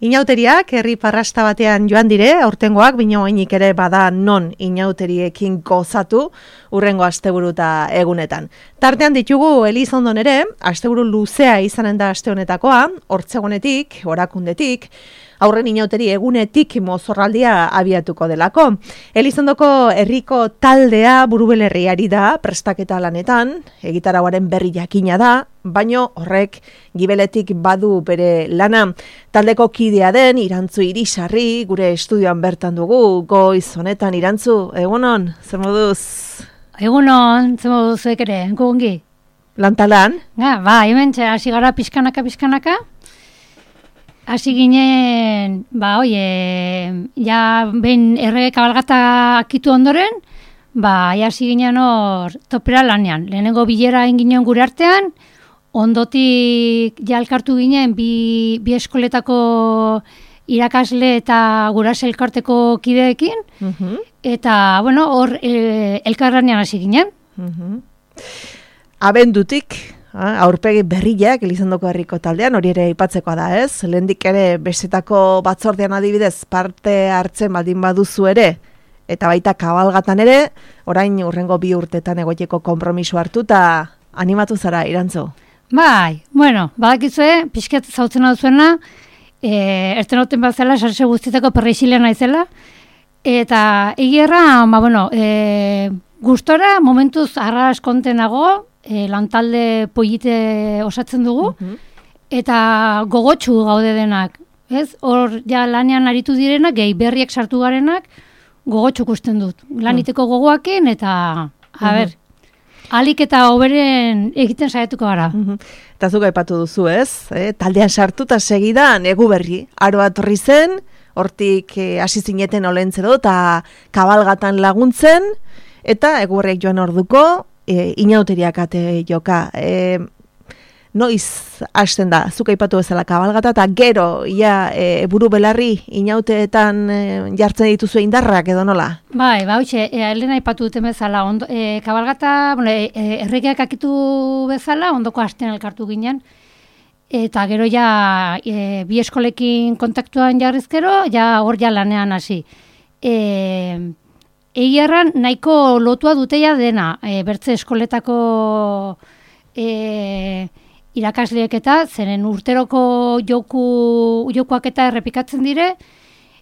Inauteriak herri parrasta batean joan dire, aurtengoak binoainik ere bada non inauteriekin gozatu urrengo asteburu eta egunetan. Tartean ditugu Elizondon ere, asteburu luzea izanen da aste honetakoa, hortzegonetik, orakundetik, aurren inauteri egunetik mozorraldia abiatuko delako. Elizondoko herriko taldea burubelerriari da prestaketa lanetan, egitarauaren berri jakina da, baino horrek gibeletik badu bere lana. Taldeko kidea den Irantzu Irisarri gure estudioan bertan dugu, goiz honetan Irantzu, egunon, zer moduz? Egunon, zer moduz ere, gugongi? Lantalan? Hemen hasi gara pixkanaka. Hasi ginen, ja behin errege kabalgata akitu ondoren, hasi ginen hor topera lanean. Lehenengo bilera egin ginen gure artean, ondotik ja elkartu ginen bi eskoletako irakasle eta gurase elkarteko kideekin, eta hor elkarlanean hasi ginen. Abendutik, aurpegi berriak Elizondoko herriko taldean, hori ere aipatzekoa da, ez? Lehendik ere besetako batzordean adibidez parte hartzen baldin baduzu ere, eta baita kabalgatan ere, orain urrengo 2 urtetan egoiteko konpromiso hartu eta animatu zara, Irantzu? Badakizue, pixket zautzen hau zuena, erten hauten bat zela, sarse guztietako perreixilean naizela, eta egierra, gustora, momentuz arras kontenago, lantalde polite osatzen dugu, eta gogotsu gaude denak, ez? Hor ja lanean aritu direnak, gehi berriak sartu garenak, gogotsu ikusten dut. Laniteko gogoakin, eta, alik eta hoberen egiten saiatuko gara. Eta zuk aipatu duzu, ez? Taldean sartu eta segidan egu berri. Aroa torri zen, hortik hasi zineten olentzero eta kabalgatan laguntzen, eta egu berriak joan orduko, inauteriak ate joka. Noiz hasten da, zuk aipatu bezala kabalgata, eta gero, buru belarri inauteetan jartzen dituzu indarrak edo nola? Lehen aipatu duten bezala, kabalgata, erregeak akitu bezala, ondoko hasten elkartu ginen, eta gero bi eskolekin kontaktuan jarrizkero, hor lanean hasi. Egiarran nahiko lotua duteia dena, bertze eskoletako irakasleek eta zeren urteroko jokuak eta errepikatzen dire,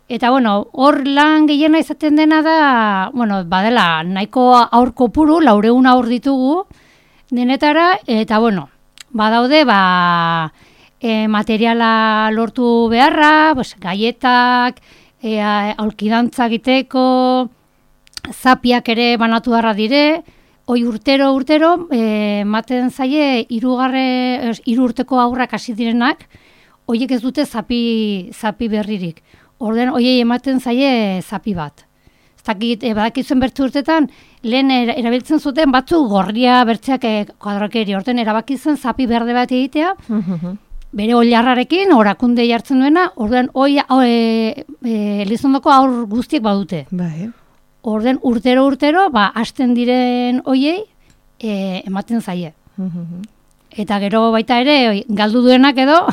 eta hor lan gehiena izaten dena da, badela nahiko aur kopuru, 400 aur ditugu denetara, eta badaude materiala lortu beharra, gaietak, aulkidantza egiteko, zapiak ere banatu beharra dire, hoi urtero, maten zaie 3 urteko aurrak hasi direnak, hoiek ez dute zapi berririk. Orden, hoiei ematen zaie zapi bat. Badakizuen bertze urtetan, lehen erabiltzen zuten batzu gorria bertzeak kuadrakeri, orden erabakitzen zapi berde bat egitea, bere oilarrarekin, orakunde jartzen duena, orden, Elizondoko aur guztiek badute. Orden urtero, hasten diren hoiei ematen zaie. Eta gero baita ere, galdu duenak edo,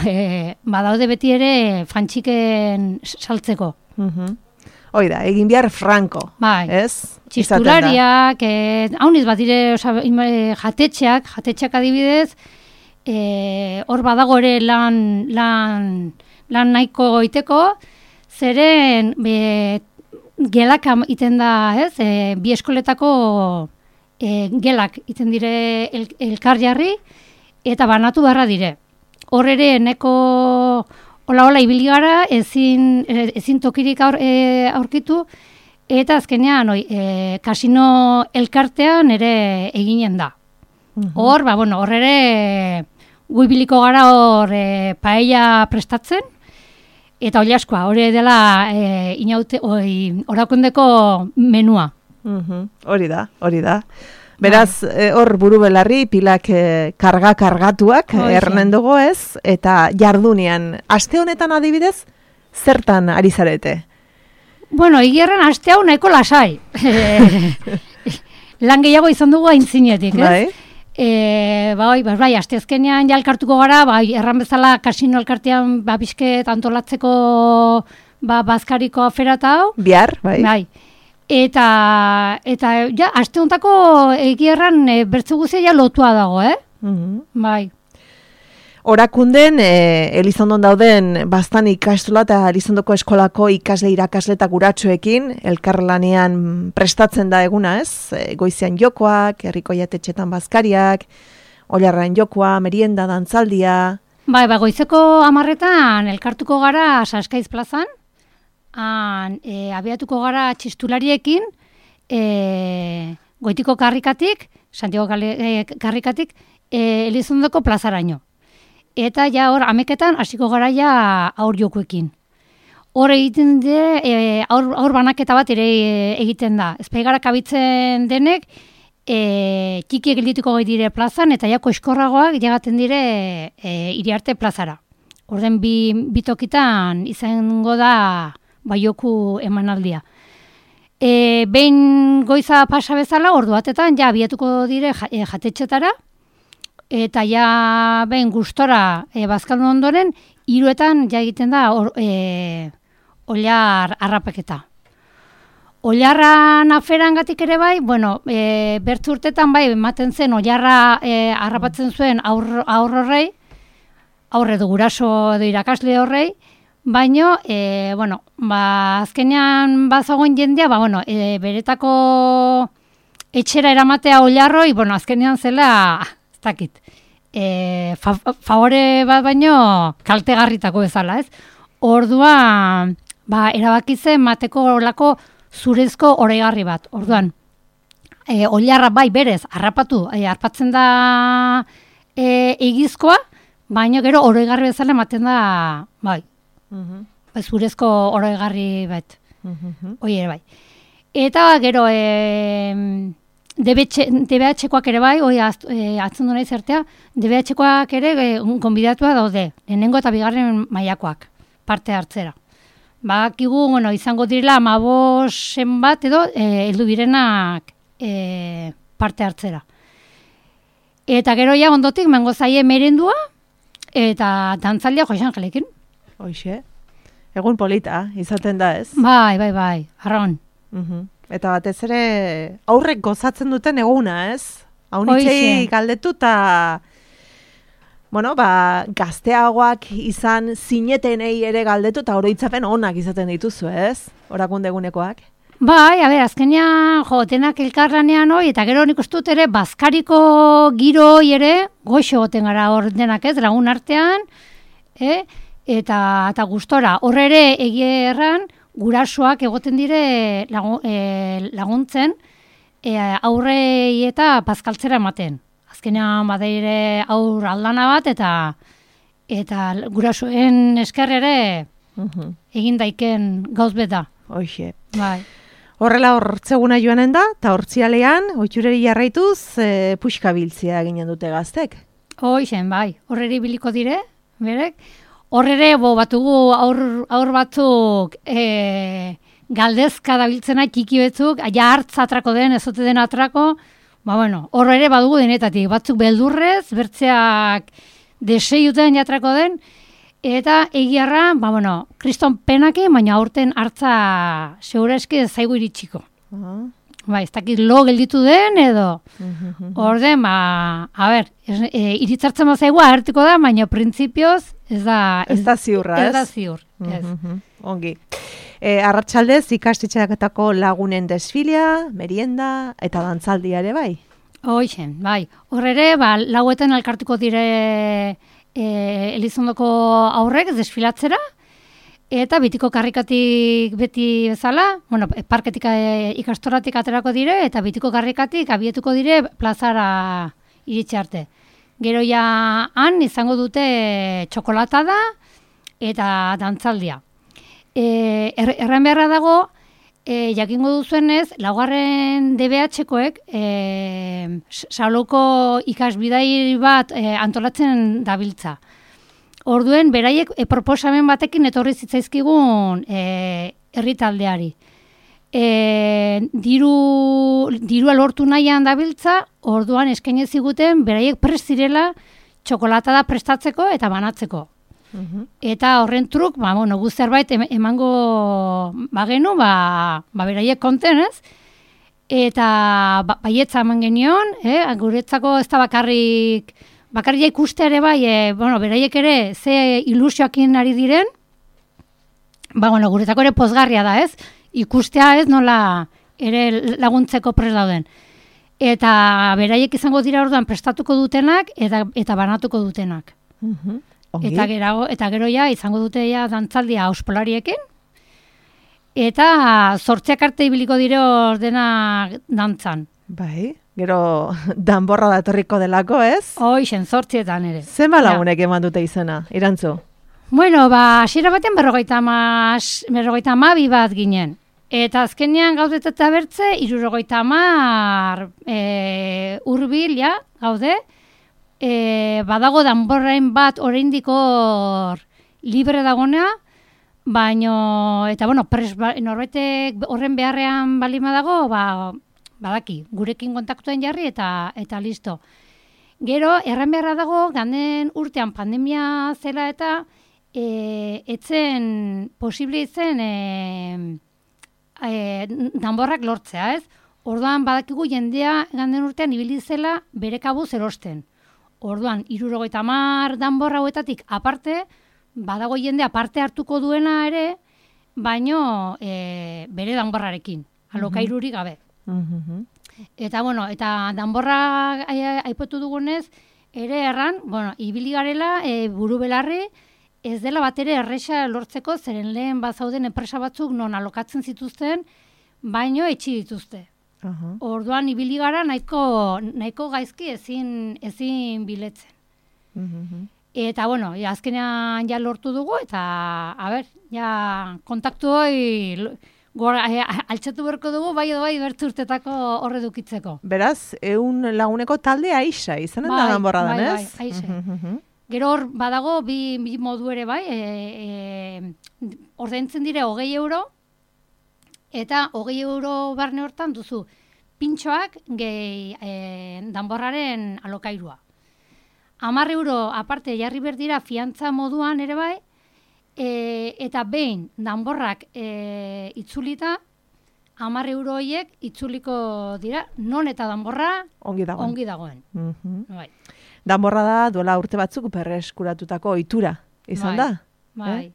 badaude beti ere fantxiken saltzeko. Hoi da, egin behar franko, ez? Txistulariak, hauniz bat dire, jatetxeak adibidez, hor badago ere lan nahiko goiteko, zeren gelak iten da, ez? Bi eskoletako gelak iten dire elkar jarri, eta banatu beharra dire. Hor ere, neko hola ibili gara, ezin tokirik aurkitu, eta azkenean, kasino elkartean ere eginen da. Hor, hor ere, guibiliko gara hor paella prestatzen, eta hori askoa, hori dela orakundeko menua. Hori da. Beraz, hor buru belarri pilak kargatuak ernen dugu ez, eta jardunean, aste honetan adibidez, zertan ari zarete? Igierren aste hau nahiko lasai. Lan gehiago izan dugu aintzinetik, ez? Bai, asteazkenean ja elkartuko gara, bai, erran bezala kasino elkartean bizket antolatzeko bazkariko afera eta hau. Bihar, bai. Bai. Eta ja, aste hontako egierran bertze guztia ja lotua dago, Bai. Orakunden, Elizondon dauden bastan ikastola eta Elizondoko eskolako ikasle irakasle eta guratxoekin elkarlanean prestatzen da eguna, ez? Goizean jokoak, herriko jatetxetan bazkariak, oilarran jokoa, merienda, dantzaldia. Bai, goizeko 10:00 elkartuko gara Saskaiz plazan, abiatuko gara txistulariekin, Goitiko karrikatik, Santiago karrikatik, Elizondoko plazaraino. Eta ja hor, 11:00 hasiko gara ja aur jokoekin. Hor egiten aur banaketa bat ere egiten da. Ezpaigara kabitzen denek, txikiek geldituko gai dire plazan, eta jako eskorragoak jagaten dire Iriarte plazara. Orden bitokitan izango da joku emanaldia. Behin goiza pasa bezala, ordu batetan ja abiatuko dire jatetxetara, eta ja behin gustora bazkaldu ondoren, 3:00 ja egiten da oilar harrapaketa. Oilarran aferangatik ere bai, bertzu urtetan bai, ematen zen oilarra harrapatzen zuen aur horrei, aurre edo guraso edo irakasle horrei, baino, azkenean bazagoen jendea, beretako etxera eramatea oilarroi, azkenean zela, ez dakit, favore bat baino kaltegarritako bezala, ez? Orduan, erabaki zen mateko olako zurezko oregarri bat. Orduan, oilarra bai berez, harrapatzen da egizkoa, baina gero oregarri bezala ematen da, zurezko oregarri bat. Hoi ere bai. Eta gero, DBH-koak ere bai, atzen duna izertea, DBH-koak ere konbidatua daude, lehenengo eta bigarren mailakoak, parte hartzera. Bakigu, izango direla 15 bat edo heldu birenak parte hartzera. Eta gero ja ondotik mengo zaie merendua eta dantzaldia Jose Angelekin. Hoxe, egun polita izaten da, ez? Bai, arraun. Eta batez ere aurrek gozatzen duten eguna, ez? Haunitzei galdetu eta gazteagoak izan zinetenei ere galdetu eta oroitzapen onak izaten dituzu, ez? Orakunde egunekoak. Bai, azkenean denak elkarlanean hoi, eta gero nik ustut ere bazkariko giro ere goxo goten gara hor denak, ez? Lagun artean, eta gustora. Hor ere egierran gurasoak egoten dire laguntzen aurrei eta bazkaltzera ematen. Azkenean badaire aur aldana bat eta gurasoen esker ere egin daiken gauz beta. Hoxe. Bai. Horrela hortzeguna joanen da, eta hortzialean, oitxureri jarraituz, puxkabiltzia ginen dute gaztek. Hoxen, bai. Horreri biliko dire, berek. Horrere, batugu aur batzuk galdezka dabiltzena txiki betzuk, ja hartz atrako den, ezote den atrako, horrere badugu denetatik. Batzuk beldurrez, bertzeak deseiuten jatrako den, eta egiarra, kriston penaki, baina aurten hartza segurazki zaigu iritsiko. Ez dakit lo gelditu den edo. Orden, iritzartzen bazaigu agertuko da, baina printzipioz ez da ziurra, ez? Ez da ziur, ez. Ongi. Arratsaldez ikastetxeaketako lagunen desfilea, merienda eta dantzaldia ere bai? Hoixen, bai. Horrere, lauetan elkartuko dire Elizondoko aurrek desfilatzera, eta bitiko karrikatik beti bezala, parketik ikastoratik aterako dire, eta bitiko karrikatik abietuko dire plazara iritsi arte. Gero ja han izango dute txokolatada eta dantzaldia. Erran beharra dago, jakingo duzuenez, laugarren DBH-koek Saloko ikasbidai bat antolatzen dabiltza. Orduen, beraiek proposamen batekin etorri zitzaizkigun herritaldeari. dirua lortu nahian dabiltza, orduan eskaini ziguten beraiek prest zirela txokolatada prestatzeko eta banatzeko. Eta horren truk, gu zerbait emango bagenu, beraiek konten, ez? Eta baietza eman genion, guretzako ez da bakarrik ikuste ere bai, beraiek ere ze ilusioakin ari diren, guretzako ere pozgarria da, ez? Ikustea ez nola ere laguntzeko prest dauden. Eta beraiek izango dira orduan prestatuko dutenak eta banatuko dutenak. Eta gero ja izango dute ja dantzaldia auspolariekin. Eta 8 arte ibiliko dire ordenak dantzan. Bai, gero danborra da etorriko delako, ez? Hoixen, 8etan ere. Zenba lagunek eman dute izena, Irantzu? Bueno, hasiera baten 52 bat ginen. Eta azkenean gaudet eta bertze, 70 hurbil ja, gaude. Badago danborrain bat oraindik hor libre dagonea, baino, eta norbaitek horren beharrean balima dago, badaki, gurekin kontaktuen jarri eta listo. Gero, erran beharra dago, ganden urtean pandemia zela eta etzen posible izen danborrak lortzea, ez? Orduan badakigu jendea ganden urtean ibili zela bere kabuz erosten. Orduan, 70 danborra hauetatik aparte, badago jendea parte hartuko duena ere, baino bere danborrarekin, alokairurik gabe. Eta, eta danborra aipatu dugunez, ere erran, ibili garela buru belarri, ez dela bat ere erresa lortzeko, zeren lehen bazauden enpresa batzuk non alokatzen zituzten, baino etxi dituzte. Orduan ibili gara nahiko gaizki ezin biletzen. Eta, azkenean ja lortu dugu, eta, kontaktu hoi altxatu berko dugu, bai bertu urtetako horre dukitzeko. Beraz, 100 laguneko talde aixa, izanen da danborra dan, ez? Bai, aixe. Gero hor badago bi modu ere bai, ordaintzen dire 20 euro, eta 20 euro barne hortan duzu pintxoak gehi danborraren alokairua. 10 euro aparte jarri berdira fiantza moduan ere bai, eta behin danborrak itzulita, 10 euro horiek itzuliko dira, non eta danborra ongi dagoen. Bai. Danborra da duela urte batzuk berreskuratutako ohitura, izan da? Bai.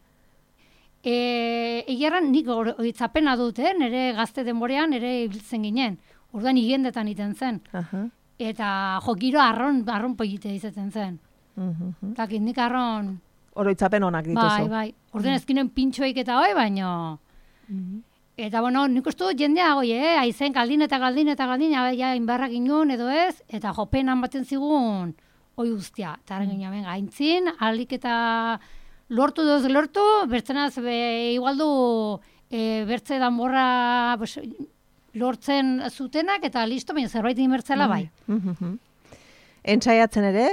Egiarran nik oitzapena dut, nire gazte denborean ere ibiltzen ginen. Orduan higendetan iten zen. Eta giro arron polite izaten zen. Eta nik arron... Oroitzapen honak dituzu. Bai. Orduan ezkinen pintxoik eta hoi, baino... Eta nik uste dut jendea aizen galdin, ja inbarrak inun edo ez, eta jopenan baten zigun hoi guztia. Eta ginen gaintzin, alik eta lortu, bertzenaz igualdu bertze danborra lortzen zutenak, eta listo, baina zerbait inbertzela bai. Entzaiatzen ere,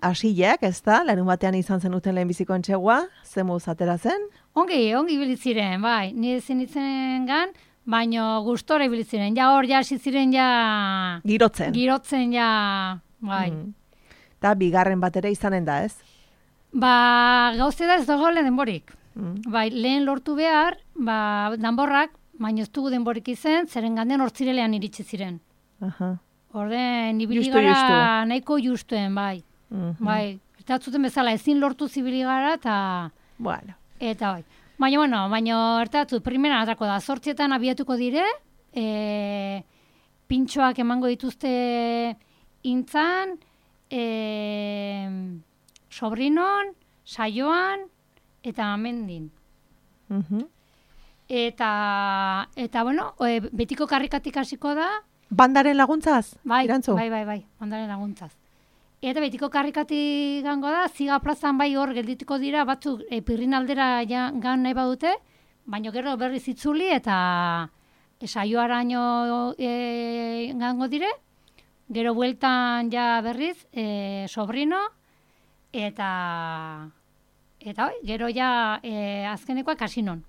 hasileak, ez da, larun batean izan zenuten lehenbiziko entxegua, zemuz atera zen? Ongi biliziren, bai, nire zenitzen gan, baina gustora biliziren, ja hor hasi ziren ja... Girotzen ja, bai. Eta bigarren bat ere izanen da, ez? Gauze da ez dago lehen denborik. Bai, lehen lortu behar, danborrak, baina ez dugu denborik izen, zeren ganden hortzirelean iritsi ziren. Orden, ibili gara nahiko justuen, bai. Bai, eta zuten bezala ezin lortu zibili gara, eta... Bueno. Eta bai. Baina ertatzu, primera atrako da, 8etan abiatuko dire, pintxoak emango dituzte intzan, sobrinon, saioan, eta amendin. Eta betiko karrikatik hasiko da. Bandaren laguntzaz? Bai, bandaren laguntzaz. Eta betiko karrikatik gango da, Ziga plazan bai hor geldituko dira, batzuk pirrin aldera gan nahi badute, baina gero berriz itzuli eta saioaraino gango dire, gero bueltan ja berriz sobrino, eta gero ja azkenekoa kasinon,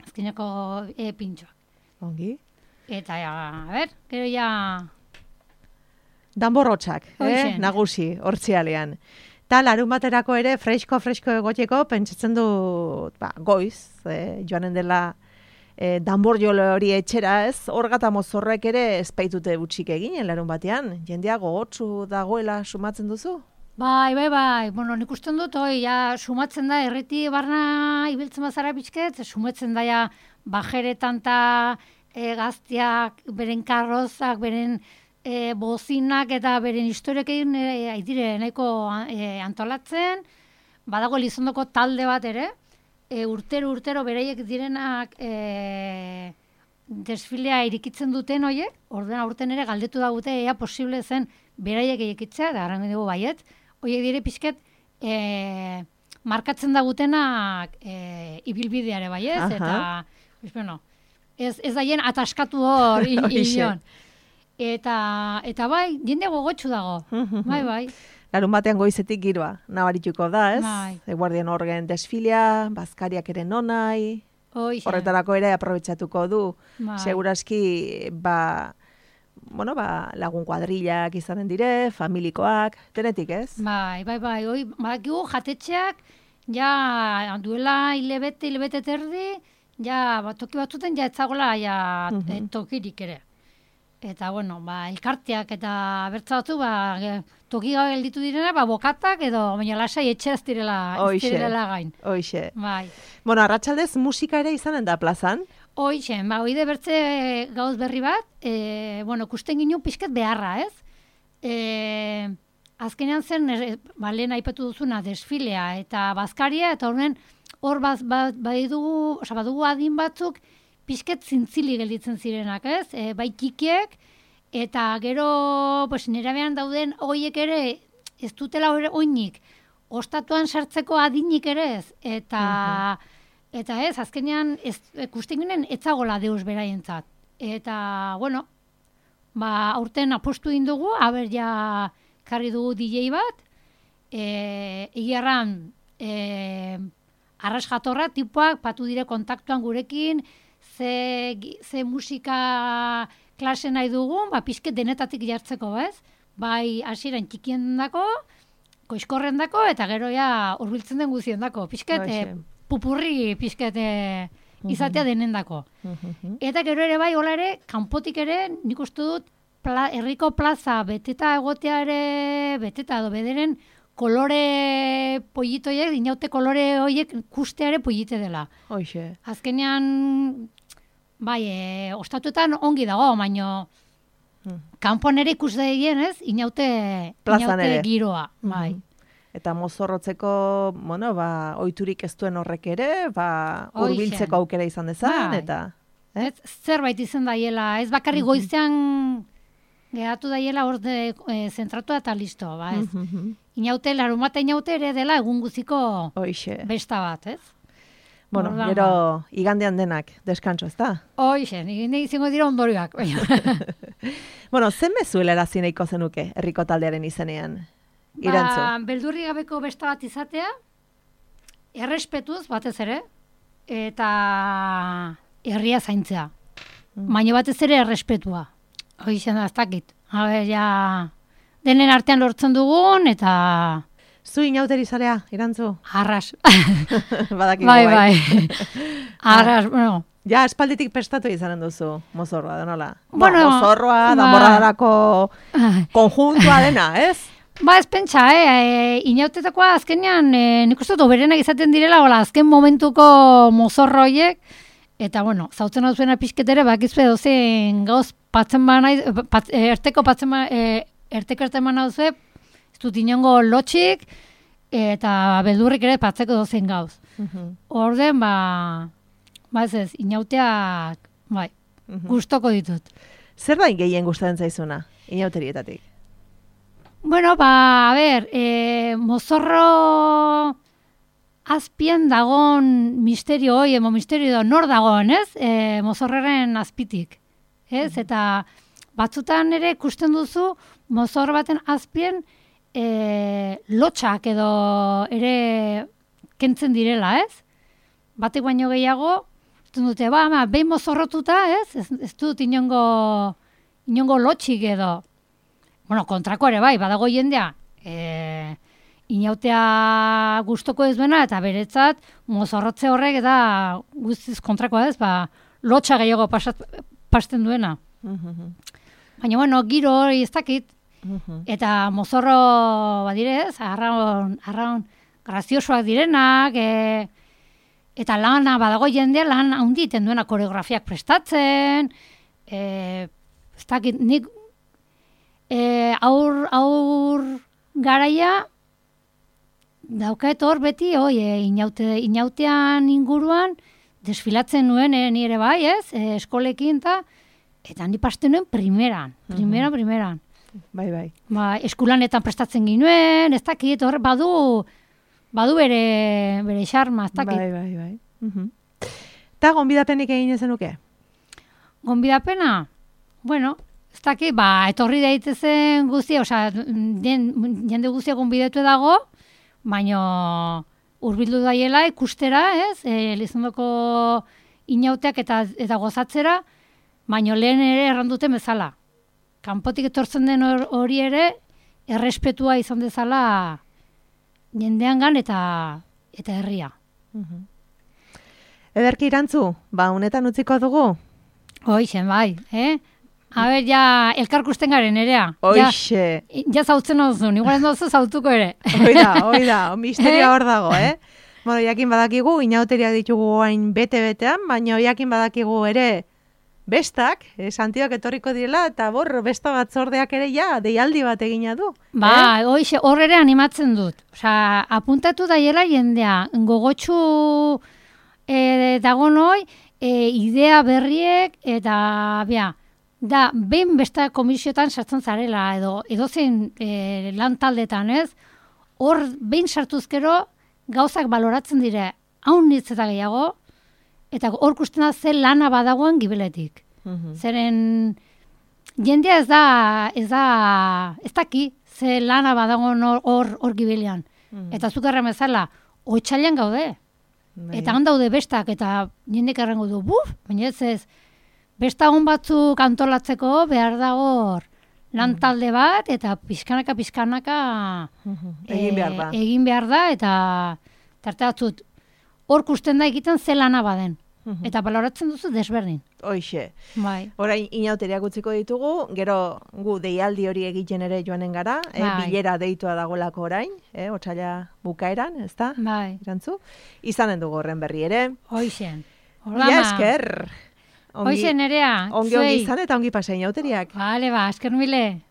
azkeneko pintxoak. Ongi. Eta, a ber, gero ja... Danborrotxak, Hoxe. nagusi, hortzialean. Ta larun baterako ere fresko egoteko pentsatzen dut, goiz, joanen dela danbor jole hori etxera, ez? Horgata mozorrek ere espaitute utxik egin larun batean. Jendea gogotsu dagoela sumatzen duzu? Bai. Bueno, nik usten dut, ja, sumatzen da, erreti barna ibiltzen bazara pixket, sumatzen da, ja, bajeretan ta gaztiak, beren karrozak, beren bozinak eta beren historiekin aidire nahiko antolatzen, badago Elizondoko talde bat ere, urtero beraiek direnak desfilea irikitzen duten hoiek, ordena urten ere galdetu daute ea posible zen beraiek irikitzea, da garango dugu baiet, hoiek dire pixket markatzen dagutenak ibilbideare baiez, eta bueno, ez daien ataskatu hor inion. Eta bai, jende gogotsu dago. Bai. Larun batean goizetik giroa, nabarituko da, ez? Bai. Eguardian horgen desfilea, bazkariak ere nonai, horretarako ere aprobetsatuko du. Bai. Seguraski, lagun kuadrillak izanen dire, familikoak, denetik, ez? Bai. Badakigu jatetxeak, ja duela hilabete terdi, ja toki batzuten ja etzagola tokirik ere. Eta, bueno, elkarteak eta bertzatu, toki gabe gelditu direna, bokatak edo, baina lasai etxeraz direla gain. Hoixe. Bai. Bueno, arratsaldez musika ere izanen da plazan? Hoixe, hoide bertze gauz berri bat, kusten ginen pixket beharra, ez? Azkenean zen, lehen aipatu duzuna, desfilea eta bazkaria, eta hor badugu adin batzuk, pixket zintzili gelditzen zirenak, ez? Bai kikiek, eta gero nerabean dauden hoiek ere ez dutela oinik, ostatuan sartzeko adinik ere ez, eta ez, azkenean ikusten ginen etzagola deus beraientzat. Eta, bueno, aurten apostu indugu, haber ja karri dugu DJ bat, egiarran arras jatorra tipuak patu dire kontaktuan gurekin, ze musika klase nahi dugun, pixket denetatik jartzeko, ez? Bai, hasieran txikien dako, koizkorren dako, eta gero ja urbiltzen den guzien dako. Pixket, pupurri pixket izatea denen dako. Eta gero ere bai, hola ere, kanpotik ere, nik uste dut, herriko plaza beteta egotea ere, beteta edo bederen, kolore pollitoiek, inaute kolore horiek kusteare pollite dela. Hoxe. Azkenean, ostatuetan ongi dago, baino kanpoan ere ikus daien, ez? Inaute giroa, bai. Eta mozorrotzeko, ohiturik ez duen horrek ere, hurbiltzeko aukera izan dezan, eta... Zerbait izan daiela, ez bakarri goizean geratu daiela hor zentratu eta listo, ez? Inaute, larumata inaute ere dela egun guziko besta bat, ez? Bueno, gero igandean denak, deskantzo, ez da? Hoxe, izango dira ondorioak. Bueno, zen mezuela erazineiko zenuke, herriko taldearen izenean? Irantzu. Beldurri gabeko besta bat izatea, errespetuz batez ere, eta herria zaintzea. Baina batez ere errespetua. Hoxe, ez dakit. Denen artean lortzen dugun, eta... Zu inauteri zarea, Irantzu? Arras. Badakigu bai. Arras, bueno. Ja, espalditik prestatu izanen duzu, mozorroa, da nola? Bueno, mozorroa, danborradarako konjuntua dena, ez? Ez pentsa, inautetakoa azkenean, nik uste dut oberenak izaten direla, azken momentuko mozorroiek, eta, bueno, zautzen hau zuena pixketere, bakizue dozen gauz patzen erteko erteman hau zue, ez dut inongo lotxik, eta beldurrik ere patzeko dozen gauz. Orden, ez, inauteak, gustoko ditut. Zer da gehien gustatzen zaizuna, inauterietatik? Bueno, mozorro azpien dagon misterio hoi, misterio da, nor dagoen, ez? Mozorreren azpitik, ez? Eta batzutan ere ikusten duzu, mozorro baten azpien lotxak edo ere kentzen direla, ez? Batek baino gehiago, dute, behin mozorrotuta, ez dut inongo lotxik edo. Bueno, kontrako ere bai, badago jendea, inautea gustoko ez duena, eta beretzat, mozorrotze horrek eta guztiz kontrakoa ez, lotxa gehiago pasten duena. Baina, bueno, giro hori ez dakit, eta mozorro, badirez, arraun graziosoak direnak, eta lana, badago jendea lan handiten duena koreografiak prestatzen, ez dakit, nik aur garaia daukaet hor beti, inautean inguruan, desfilatzen nuen, ni ere bai, eskolekin, eta ni pasten nuen primeran. Bai. Eskulanetan prestatzen ginuen, ez dakit, hor badu bere xarma, ez dakit. Bai. Eta gonbidapenik egin ezenuke? Gonbidapena? Bueno, ez dakit, etorri daitezen guztia, jende guztia gonbidatu dago, baina hurbildu daiela ikustera, Elizondoko inauteak eta gozatzera, baina lehen ere erranduten bezala. Kanpotik etortzen den hori ere, errespetua izan dezala jendeangan eta herria. Ederki Irantzu, honetan utziko dugu? Hoixen, bai, A ber, ja, elkarkusten garen, erea. Hoixe. Ja zautzen hozun, igual ez dozu zautuko ere. Oida, misteria hor dago, Bueno, jakin badakigu, inauteriak ditugu hain bete-betean, baina jakin badakigu ere bestak, Santiak etorriko direla, eta besta batzordeak ere deialdi bat egina du. Hoixe, hor ere animatzen dut. Apuntatu daiela jendea, gogotsu dago noi, idea berriek, eta, behin besta komisiotan sartzen zarela, edozein lan taldetan, hor behin sartuzkero gauzak baloratzen dire, haun nitz eta gehiago, eta hor kustena ze lana badagoen gibeletik. Zeren jendea ez daki ze lana badagoen hor gibelean. Eta zukarra bezala, oitzailean gaude. Eta han daude bestak, eta jendek errango du, baina ez, besta hon batzuk antolatzeko behar da hor lan talde bat, eta pizkanaka egin behar da, eta tarte batzut hor kusten da egiten ze lana baden. Eta baloratzen duzu desberdin. Hoixe. Bai. Orain inauteriak utziko ditugu, gero gu deialdi hori egiten ere joanen gara, bilera deitua dagoelako orain, otsaila bukaeran, ezta? Bai. Irantzu? Izanen dugu horren berri ere. Hoixen. Ia esker. Hoixen, Nerea. Ongi izan eta ongi pasea inauteriak. Bale, esker mile.